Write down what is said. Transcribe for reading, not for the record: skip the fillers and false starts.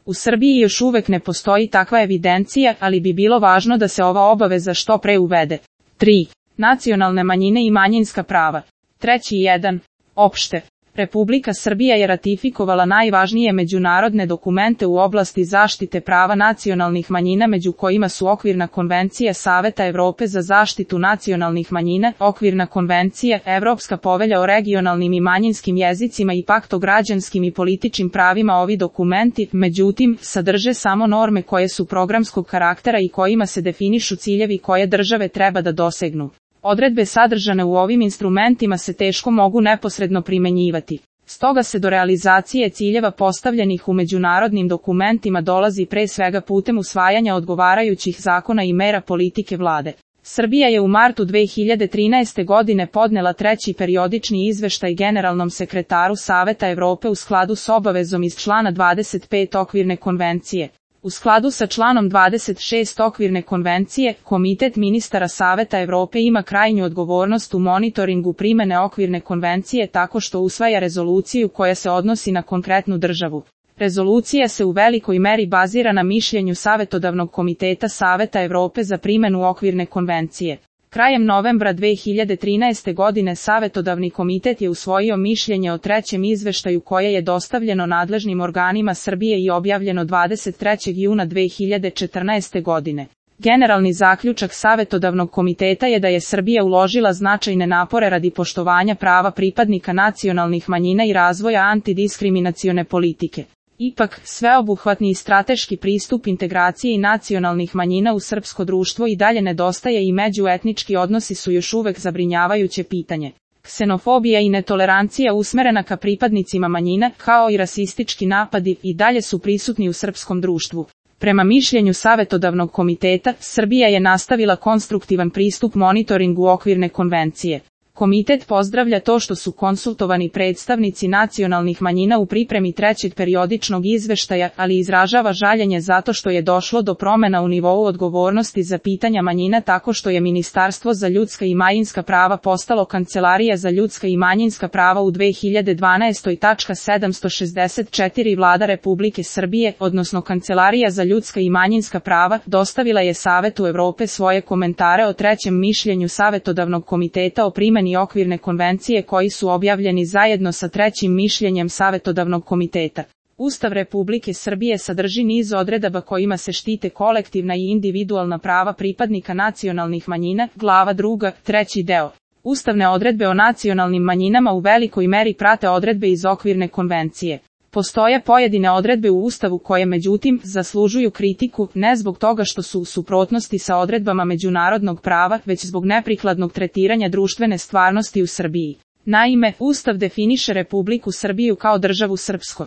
U Srbiji još uvek ne postoji takva evidencija, ali bi bilo važno da se ova obaveza što pre uvede. 3. Nacionalne manjine i manjinska prava. 3.1. Opšte. Republika Srbija je ratifikovala najvažnije međunarodne dokumente u oblasti zaštite prava nacionalnih manjina, među kojima su Okvirna konvencija Saveta Evrope za zaštitu nacionalnih manjina, Okvirna konvencija, Evropska povelja o regionalnim i manjinskim jezicima i Pakt o građanskim i političkim pravima. Ovi dokumenti, međutim, sadrže samo norme koje su programskog karaktera i kojima se definišu ciljevi koje države treba da dosegnu. Odredbe sadržane u ovim instrumentima se teško mogu neposredno primenjivati. Stoga se do realizacije ciljeva postavljenih u međunarodnim dokumentima dolazi pre svega putem usvajanja odgovarajućih zakona i mera politike vlade. Srbija je u martu 2013. godine podnela treći periodični izveštaj generalnom sekretaru Saveta Evrope u skladu s obavezom iz člana 25 Okvirne konvencije. U skladu sa članom 26 Okvirne konvencije, Komitet ministara Saveta Evrope ima krajnju odgovornost u monitoringu primene Okvirne konvencije tako što usvaja rezoluciju koja se odnosi na konkretnu državu. Rezolucija se u velikoj meri bazira na mišljenju Savetodavnog komiteta Saveta Evrope za primenu Okvirne konvencije. Krajem novembra 2013. godine Savetodavni komitet je usvojio mišljenje o trećem izveštaju koje je dostavljeno nadležnim organima Srbije i objavljeno 23. juna 2014. godine. Generalni zaključak Savetodavnog komiteta je da je Srbija uložila značajne napore radi poštovanja prava pripadnika nacionalnih manjina i razvoja antidiskriminacione politike. Ipak, sveobuhvatni i strateški pristup integraciji nacionalnih manjina u srpsko društvo i dalje nedostaje i međuetnički odnosi su još uvek zabrinjavajuće pitanje. Ksenofobija i netolerancija usmerena ka pripadnicima manjina, kao i rasistički napadi, i dalje su prisutni u srpskom društvu. Prema mišljenju Savetodavnog komiteta, Srbija je nastavila konstruktivan pristup monitoringu Okvirne konvencije. Komitet pozdravlja to što su konsultovani predstavnici nacionalnih manjina u pripremi trećeg periodičnog izveštaja, ali izražava žaljenje zato što je došlo do promena u nivou odgovornosti za pitanja manjina tako što je Ministarstvo za ljudska i manjinska prava postalo Kancelarija za ljudska i manjinska prava u 2012. Vlada Republike Srbije, odnosno Kancelarija za ljudska i manjinska prava, dostavila je Savetu Evrope svoje komentare o trećem mišljenju Savetodavnog komiteta o primeni Okvirne konvencije koji su objavljeni zajedno sa trećim mišljenjem Savetodavnog komiteta. Ustav Republike Srbije sadrži niz odredaba kojima se štite kolektivna i individualna prava pripadnika nacionalnih manjina, glava 2, treći deo. Ustavne odredbe o nacionalnim manjinama u velikoj meri prate odredbe iz Okvirne konvencije. Postoje pojedine odredbe u Ustavu koje međutim zaslužuju kritiku, ne zbog toga što su u suprotnosti sa odredbama međunarodnog prava, već zbog neprikladnog tretiranja društvene stvarnosti u Srbiji. Naime, Ustav definiše Republiku Srbiju kao državu srpsko.